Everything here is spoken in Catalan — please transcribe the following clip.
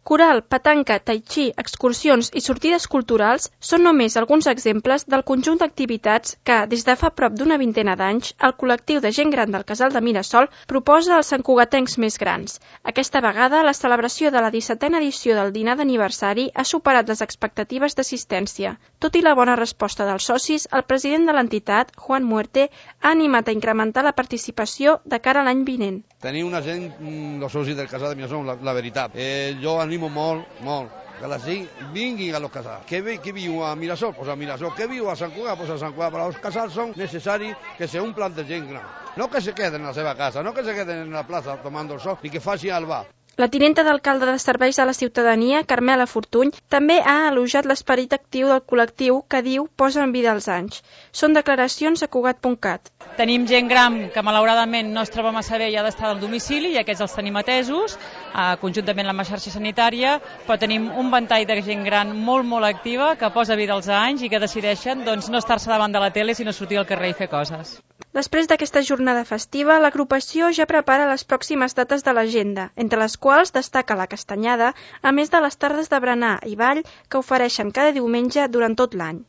Coral, petanca, tai chi, excursions i sortides culturals són només alguns exemples del conjunt d'activitats que, des de fa prop d'una vintena d'anys, el col·lectiu de gent gran del Casal de Mirasol proposa als santcugatencs més grans. Aquesta vegada, la celebració de la 17a edició del dinar d'aniversari ha superat les expectatives d'assistència. Tot i la bona resposta dels socis, el president de l'entitat, Juan Muerte, ha animat a incrementar la participació de cara a l'any vinent. Tenir una gent, els socis del Casal de Mirasol, la veritat. Jo animo molt, que la gent vinguin a los casals. Què viu a Mirasol? Pues a Mirasol. Què viu a Sant Cugat? Pues a Sant Cugat. Però els casals són necessaris que se omplan de gent gran. No que se queden a la seva casa, no que se queden en la plaça tomant el sol, ni que facin al bar. La tinenta d'alcalde de Serveis a la Ciutadania, Carmela Fortuny, també ha elogiat l'esperit actiu del col·lectiu que diu posa en vida els anys. Són declaracions a Cugat.cat. Tenim gent gran que malauradament no es troba massa bé i ha d'estar al domicili, i aquests els tenim atesos, conjuntament amb la xarxa sanitària, però tenim un ventall de gent gran molt activa que posa vida als anys i que decideixen no estar-se davant de la tele sinó sortir al carrer i fer coses. Després d'aquesta jornada festiva, l'agrupació ja prepara les pròximes dates de l'agenda, entre les quals destaca la castanyada, a més de les tardes de berenar i ball que ofereixen cada diumenge durant tot l'any.